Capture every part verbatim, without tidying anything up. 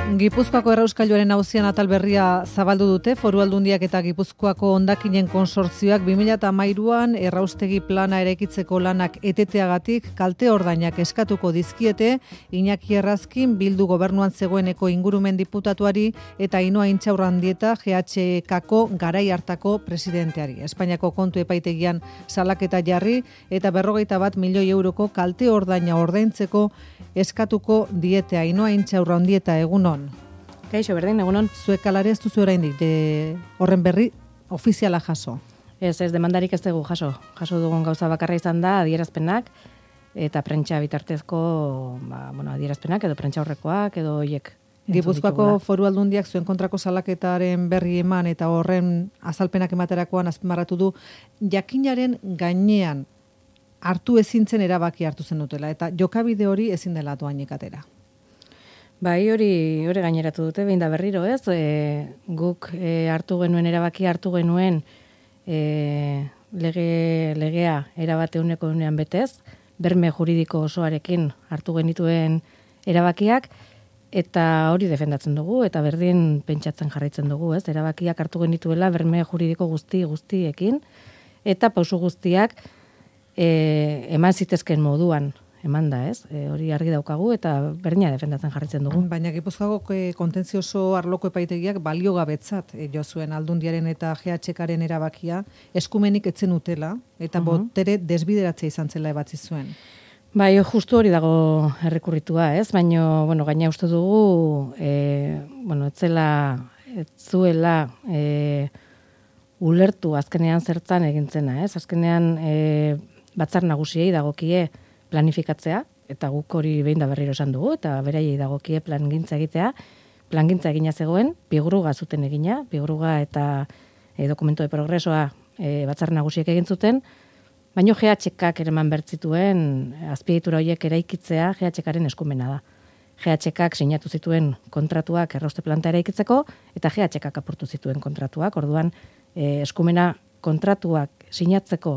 Gipuzkoako errauskailuaren auzian atal berria zabaldu dute Foru Aldundiak eta Gipuzkoako hondakinen konsortzioak bi mila hamairuan erraustegi plana eraikitzeko lanak eteteagatik kalte ordainak eskatuko dizkiete Iñaki Errazkin Bildu gobernuan zegoeneko ingurumen diputatuari eta Ainhoa Intxaurrandieta G H K-ko garai hartako presidenteari. Espainiako kontu epaitegian salaketa jarri eta berrogeita bat milioi euroko kalte ordaina ordaintzeko eskatuko diete. Ainhoa Intxaurrandieta, egunon. Kaixo, berdin, egunon. Zuek alare ez duzu oraindik de horren berri ofiziala jaso. Ez, ez, demandarik ez dugu jaso. Jaso dugun gauza bakarra izan da adierazpenak eta prentsa bitartezko ba, bueno, adierazpenak edo prentsa horrekoak edo hoiek. Gipuzkoako Foru Aldundiak zuen kontrako salaketaren berri eman eta horren azalpenak ematerakoan azpimarratu du jakinaren gainean hartu ezintzen erabaki hartu zen dutela eta jokabide hori ezin dela doainik atera. Bai, hori hori gaineratu dute, behin da berriro, ez? E, guk e, hartu genuen erabaki hartu genuen e, lege, legea erabate uneko unean betez, berme juridiko osoarekin hartu genituen erabakiak, eta hori defendatzen dugu, eta berdin pentsatzen jarraitzen dugu, ez? Erabakiak hartu genituela berme juridiko guzti guztiekin, eta pausu guztiak e, eman zitezken moduan. Eman da, ez? E, hori argi daukagu eta berdina defendatzen jarritzen dugu. Baina Gipuzkoako kontentzioso arloko epaitegiak baliogabetzat e, jo zuen Aldundiaren eta G H K-ren erabakia eskumenik etzen utela eta uh-huh. botere desbideratzea izan zela ebatzi zuen. Bai, justu hori dago errekurritua, ez? Baina, bueno, gaina uste dugu, e, bueno, etzela, etzuela e, ulertu azkenean zertzan egintzena, ez? Azkenean e, batzar nagusiei dagokie planifikatzea, eta guk hori behin da berriro esan dugu, eta beraiei dagokie plangintza egitea, plangintza egina zegoen, bigruga zuten egina, bigruga eta e, dokumento de progresoa e, batzar nagusiek egin zuten, baino G H K-ak ereman bertzituen azpiegitura horiek eraikitzea G H K-aren eskumena da. G H K-ak sinatu zituen kontratuak errauste planta eraikitzeko, eta G H K-ak apurtu zituen kontratuak, orduan e, eskumena kontratuak sinatzeko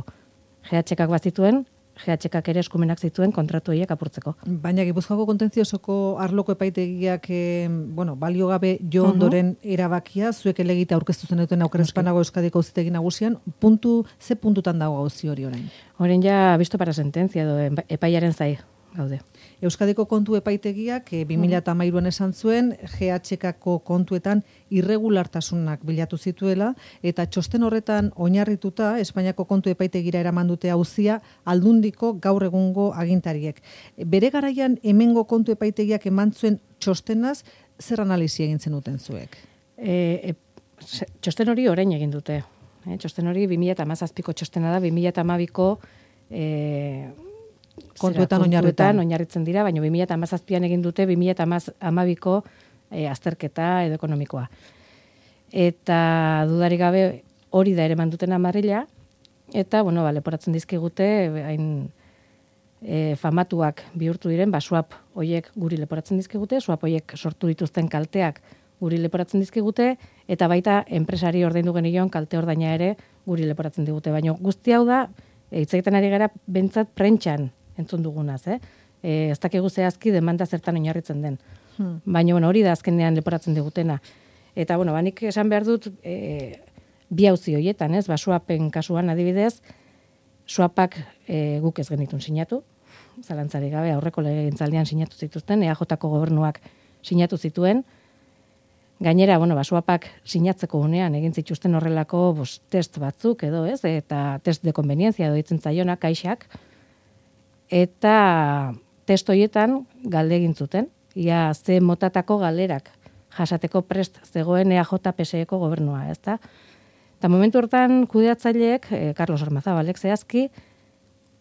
G H K-ak bazituen, G H K-ak ere eskumenak zituen kontratu horiek apurtzeko. Baina Gipuzkoako kontentziosoko arloko epaitegiak eh, bueno, baliogabe jo ondoren uh-huh. erabakia, zuek elegita aurkeztu zen duten aukera Espanago Euskadiko auzitegi nagusian, puntu, ze puntutan dago gauzi hori orain? Orain ja visto para sentencia edo epaiaren zai gaude. Euskadiko kontu epaitegiak eh, bi mila hamairuan esan zuen G H K-ko kontuetan irregulartasunak bilatu zituela eta txosten horretan oinarrituta Espainiako kontu epaitegira eraman dute auzia Aldundiko gaur egungo agintariek. Bere garaian hemengo kontu epaitegiak eman zuen txostenaz zer analisi egin zenuten zuek? E, e, txosten hori orain egin dute. E, txosten hori bi mila hamazazpiko txostena da, bi mila hamabiko e, kontuetan oinarritzen oinarritzen dira, baina bi mila hamazazpian egin dute bi mila hamabiko e, azterketa edo ekonomikoa. Eta dudarik gabe hori da ere manduten amarrila, eta, bueno, ba, leporatzen dizkigute, hain e, famatuak bihurtu diren, ba, swap hoiek guri leporatzen dizkigute, swap hoiek sortu dituzten kalteak guri leporatzen dizkigute, eta baita enpresari ordaindu genion kalte ordaina ere guri leporatzen digute. Baina guzti hau da, hitz egiten ari gara bentsat prentxan entzun dugunaz, eh? E, ez dakigu zehazki demanda zertan oinarritzen den. Hmm. Baina, bueno, hori da azkenean leporatzen digutena. Eta, bueno, banik esan behar dut, e, bi auzi horietan, ez? Ba, swapen kasuan adibidez, swapak e, guk ez genitun sinatu, zalantzari gabe, aurreko legegintzaldian sinatu zituzten, E A J-ko gobernuak sinatu zituen. Gainera, bueno, ba, swapak sinatzeko unean egin zituzten horrelako bos, test batzuk edo, ez? Eta test de konvenientzia edo ditzen zaiona, kaixak. Eta test horietan galde egin zuten, ia ze motatako galerak jasateko prest zegoen E A J P S E-ko gobernua, ezta? Eta momentu hortan kudeatzaileek, eh, Carlos Ormazabalek zehazki,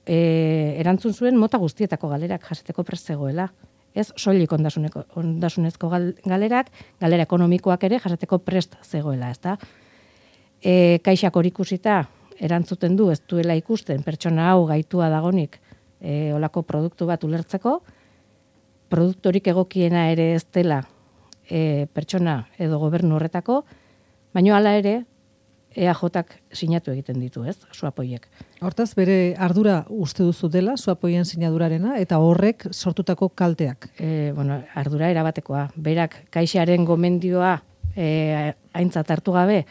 eh, erantzun zuen mota guztietako galerak jasateko prest zegoela. Ez soilik ondasunezko gal, galerak, galera ekonomikoak ere jasateko prest zegoela, ezta? E, kaixak hori ikusita erantzuten du, ez duela ikusten pertsona hau gaitua dagonik E, olako produktu bat ulertzeko, produktorik egokiena ere ez dela e, pertsona edo gobernu horretako, baina hala ere E A Jk sinatu egiten ditu, ez, suapoiek. Hortaz, bere ardura uste duzu dela, suapoien sinadurarena, eta horrek sortutako kalteak. E, bueno, ardura erabatekoa. Berak kaixaren gomendioa e, aintzat hartu gabe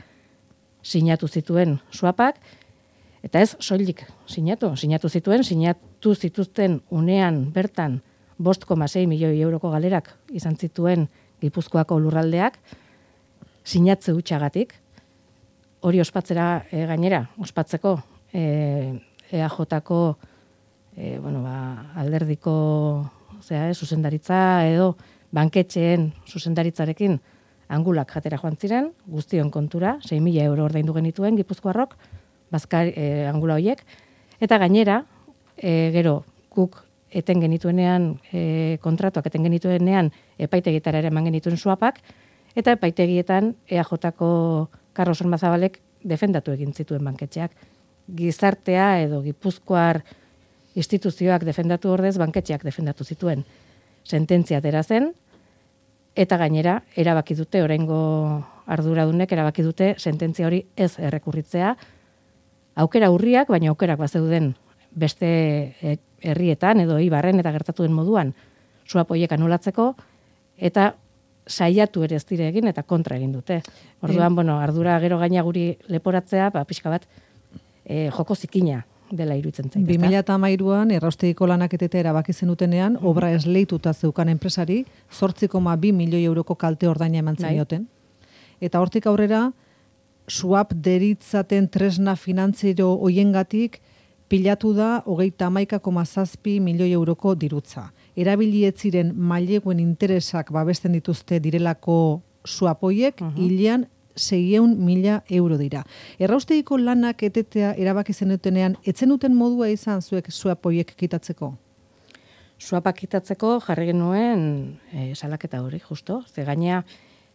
sinatu zituen suapak, eta ez soilik sinatu. Sinatu zituen, sinatu zituzten unean bertan bost koma sei milioi euroko galerak izan zituen Gipuzkoako lurraldeak, sinatze hutxagatik, hori ospatzera e, gainera, ospatzeko e, E A Jko e, bueno, ba, alderdiko zera, e, zuzendaritza edo banketxeen zuzendaritzarekin angulak jatera joan ziren, guztion kontura, sei mila euro ordaindu genituen Gipuzkoarrok, bazkar e, angula horiek, eta gainera, e, gero, guk eten genituenean, e, kontratuak eten genituenean, epaitegietara ere eman genituen suapak, eta epaitegietan E A Jko Carlos Ormazabalek defendatu egin zituen banketxeak. Gizartea edo Gipuzkoar instituzioak defendatu ordez, banketxeak defendatu zituen. Sententzia atera zen, eta gainera, erabaki dute, oraingo arduradunek erabaki dute sententzia hori ez errekurritzea, aukera urriak, baina aukerak bazeuden beste herrietan edo Ibarren eta gertatu den moduan suapoiek anulatzeko, eta saiatu ere ez dire egin eta kontra egin dute. Orduan, e, bueno, ardura gero gaina guri leporatzea, ba, pixka bat, e, joko zikina dela iruditzen zait. bi mila hamairuan erraustegiko lanak etetea erabaki zenutenean, mm-hmm. obra esleituta zeukan enpresari, zortzi koma bi milioi euroko kalte ordaina eman zenioten. Eta hortik aurrera, suap deritzaten tresna finantziero hoiengatik pilatu da hogeita hamaika koma zazpi milioi euroko dirutza. Erabilietziren maileguen interesak babesten dituzte direlako suapoiek, uh-huh. hilean seiehun mila euro dira. Erraustegiko lanak etetea erabaki zenutenean, etzenuten modua izan zuek suapoiek kitatzeko? Suapak kitatzeko jarri genuen e, salaketa hori, justo. Ze gainea,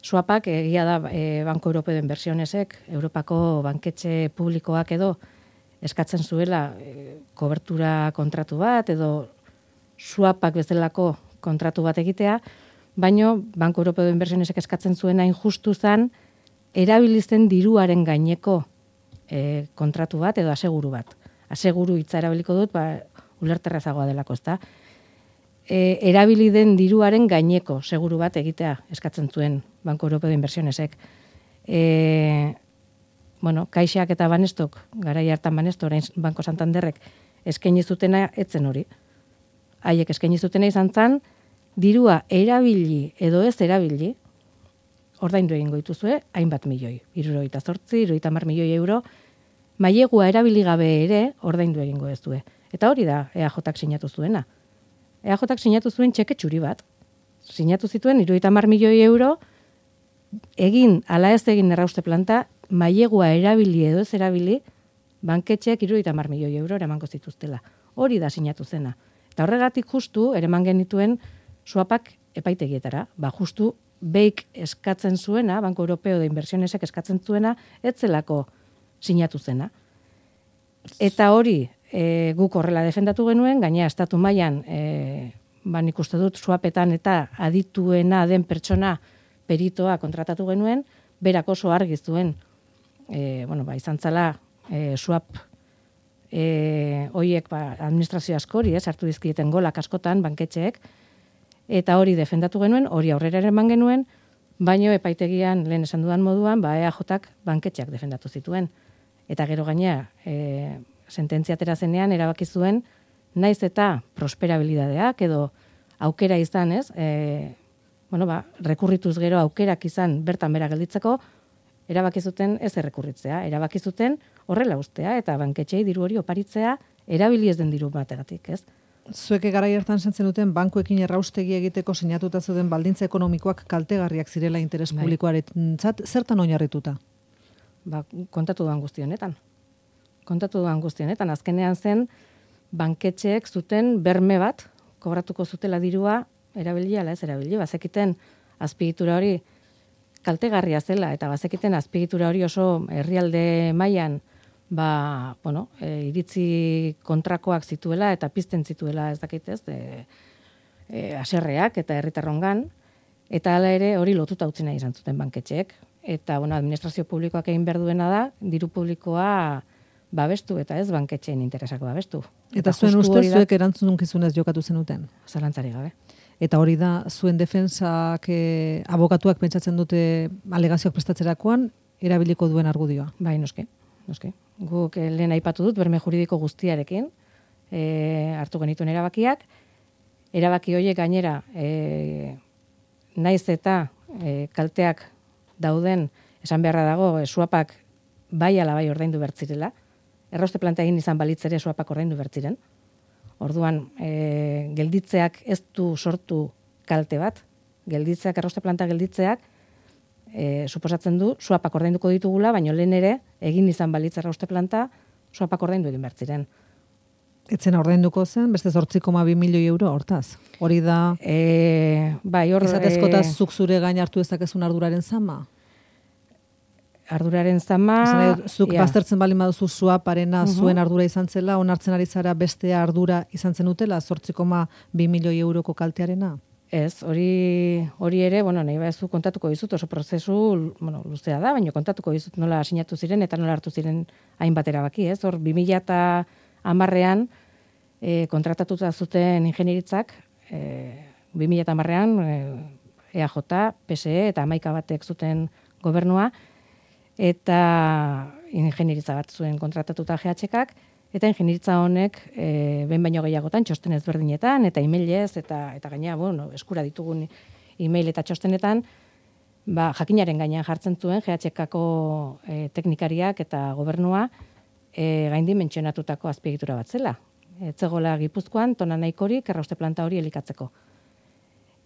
suapak egia da e, Banko Europeo de Inversionesek, Europako banketxe publikoak edo eskatzen zuela e, kobertura kontratu bat edo suapak bezalako kontratu bat egitea, baino Banko Europeo de Inversionesek eskatzen zuena injustu zan erabilizten diruaren gaineko e, kontratu bat edo aseguru bat. Aseguru hitza erabiliko dut, ba, ulerterrazagoa delako, ezta? E, erabili den diruaren gaineko seguru bat egitea eskatzen zuen Banko Europeo de Inversionesek. E, bueno, Kaixak eta Banestok, garai hartan Banesto, orain Banko Santanderrek eskaini zutena etzen hori. Haiek eskaini zutena izan zan, dirua erabili edo ez erabili, ordaindu egingo dituzue, hainbat milioi. Hirurogeita zortzi, hirurogeita hamar milioi euro, mailegua erabili gabe ere ordaindu egingo ez due. Eta hori da E A Jk sinatu zuena. E A Jk sinatu zuen txeke txuri bat. Sinatu zituen hirurogeita hamar milioi euro, egin ala ez egin errauste planta, mailegua erabili edo ez erabili, banketxeak hirurogeita hamar milioi euro eramango zituztela. Hori da sinatu zena. Eta horregatik justu, ereman genituen suapak epaitegietara. Ba, justu, beik eskatzen zuena, Banko Europeo de Inversionesek eskatzen zuena, etzelako sinatu zena. Eta hori, e, guk horrela defendatu genuen, gainera estatu mailan, e, ban ikuste dut suapetan eta adituena den pertsona peritoa kontratatu genuen, berak oso argi zuen, e, bueno, ba, izan zala, e, suap E, oiek ba, administrazio askori, ez, hartu dizkieten golak askotan, banketxeek, eta hori defendatu genuen, hori aurrera eman genuen, baino epaitegian, lehen esan dudan moduan, ba, E A Jk banketxeak defendatu zituen. Eta gero gainea, e, sententzia atera zenean, erabaki zuen, naiz eta prosperabilidadeak, edo aukera izan, ez, e, bueno, ba, rekurrituz gero aukerak izan bertan bera gelditzeko, erabaki zuten ez errekurritzea, erabaki zuten horrela ustea eta banketxei diru hori oparitzea erabili ez den diru bategatik, ez? Zuek garai hartan sentzen duten bankuekin erraustegi egiteko sinatuta zeuden baldintza ekonomikoak kaltegarriak zirela interes bai. Publikoarentzat, zertan oinarrituta? Ba, kontatu duan guztionetan. Kontatu duan guztionetan, azkenean zen banketxeek zuten berme bat kobratuko zutela dirua erabili ala ez erabili, bazekiten azpiegitura hori kaltegarria zela, eta bazekiten azpiegitura hori oso herrialde mailan ba, bueno, e, iritzi kontrakoak zituela eta pizten zituela, ez dakit ez, e, e, aserreak eta herritarrongan, eta hala ere hori lotuta utzi nahi izan zuten banketxeek. eta bueno, administrazio publikoak egin behar duena da, diru publikoa babestu, eta ez banketxeen interesak babestu. Eta, eta zuen ustez, zuek erantzunkizunez jokatu zenuten? Zalantzari gabe. Eta hori da, zuen defensak, eh, abokatuak pentsatzen dute alegazioak prestatzerakoan, erabiliko duen argudioa? Bai, noske, noske. Guk eh, lehen aipatu dut, berme juridiko guztiarekin, eh, hartu genituen erabakiak, erabaki horiek gainera, eh, naiz eta eh, kalteak dauden, esan beharra dago, eh, suapak bai ala bai ordaindu bertzirela, errauste planta egin izan balitzere suapak ordaindu bertziren. Orduan, e, gelditzeak ez du sortu kalte bat, gelditzeak, errauste planta gelditzeak, e, suposatzen du, suapak ordainduko ditugula, baina lehen ere, egin izan balitz errauste planta, suapak ordaindu egin bertziren. Etzen ordainduko zen, beste zortzi koma bi milioi euro hortaz. Hori da, e, bai, hor, izatezkota e, zuk zure gain hartu ezakezun arduraren zama? Arduraren zama... Esan, zuk ja. Baztertzen bali maduzu suaparena uh -huh. zuen ardura izan zela, onartzen ari zara bestea ardura izan zen utela, zortzi koma bi milioi euroko kaltearena? Ez, hori hori ere, bueno, nahi baduzu kontatuko dizut, oso prozesu, bueno, luzea da, baina kontatuko dizut nola sinatu ziren eta nola hartu ziren hainbat erabaki, ez? Hor, bi mila hamarrean e, kontratatuta zuten ingenieritzak, e, bi mila hamarrean e, E A J, P S E eta hamaika batek zuten gobernua, eta ingenieritza bat zuen kontratatuta G H K, eta ingenieritza honek e, behin baino gehiagotan txosten ezberdinetan, eta emailez, eta, eta gaina, bueno, eskura ditugun email eta txostenetan, ba, jakinaren gainean jartzen zuen G H K-ko e, teknikariak eta gobernua e, gaindi mentsionatutako azpiegitura bat zela. Etzegola Gipuzkoan, tona nahikorik errauste planta hori elikatzeko.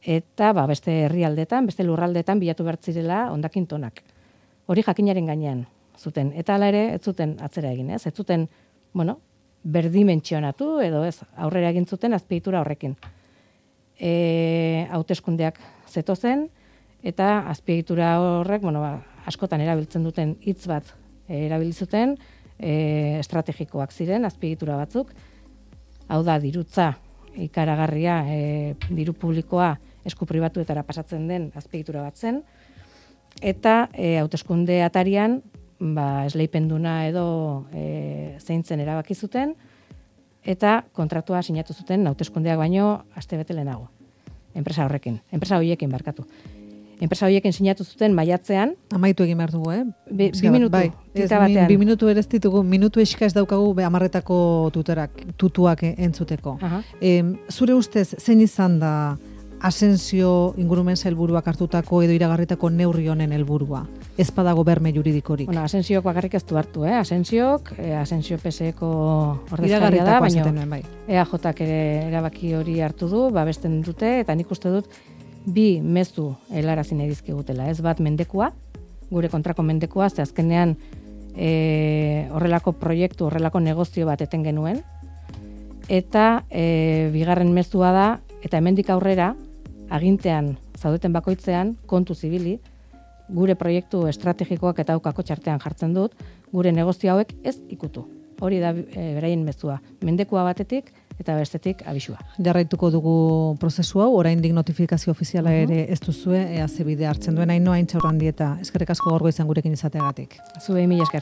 Eta ba, beste herrialdetan, beste lurraldetan bilatu bertzirela hondakin tonak. Hori jakinaren gainean zuten. Eta hala ere, ez zuten atzera egin, ez? Ez zuten, bueno, berdimentsionatu edo ez, aurrera egin zuten azpiegitura horrekin. E, hauteskundeak zetozen, eta azpiegitura horrek, bueno, ba, askotan erabiltzen duten hitz bat e, erabiltzuten, e, estrategikoak ziren azpiegitura batzuk. Hau da, dirutza ikaragarria, e, diru publikoa esku pribatuetara pasatzen den azpiegitura bat zen, eta e, hauteskunde atarian ba, esleipenduna edo e, zeintzen erabaki zuten, eta kontratua sinatu zuten hauteskundeak baino astebete lehenago. Enpresa horrekin, enpresa horiekin barkatu. Enpresa horiekin sinatu zuten maiatzean. Amaitu egin behar dugu, eh? Bi, bi minutu, bai. Ez, batean. Bi minutu ere ez ditugu, minutu eska ez daukagu amarretako tuterak, tutuak entzuteko. E, zure ustez, zein izan da Asensio ingurumen sailburuak hartutako edo iragarritako neurri honen helburua? Ez badago berme juridikorik. Bueno, Asensiok bakarrik ez du hartu, eh? Asensiok, eh, Asensio P S E-ko ordezkaria da, baina bai. E A J-k ere erabaki hori hartu du, babesten dute, eta nik uste dut bi mezu helarazi nahi dizkigutela. Ez bat mendekua, gure kontrako mendekua, ze azkenean e, horrelako proiektu, horrelako negozio bat eten genuen, eta e, bigarren mezua da, eta hemendik aurrera, agintean, zaudeten bakoitzean, kontu zibili, gure proiektu estrategikoak eta aukako txartean jartzen dut, gure negozio hauek ez ikutu. Hori da e, beraien mezua. Mendekua batetik eta bestetik abisua. Jarraituko dugu prozesu hau, oraindik notifikazio ofiziala ere ez duzue, ea ze bide hartzen duen Ainhoa Intxaurrandi eta eskerrik asko gaurgo izan gurekin izateagatik. Zuei mila esker.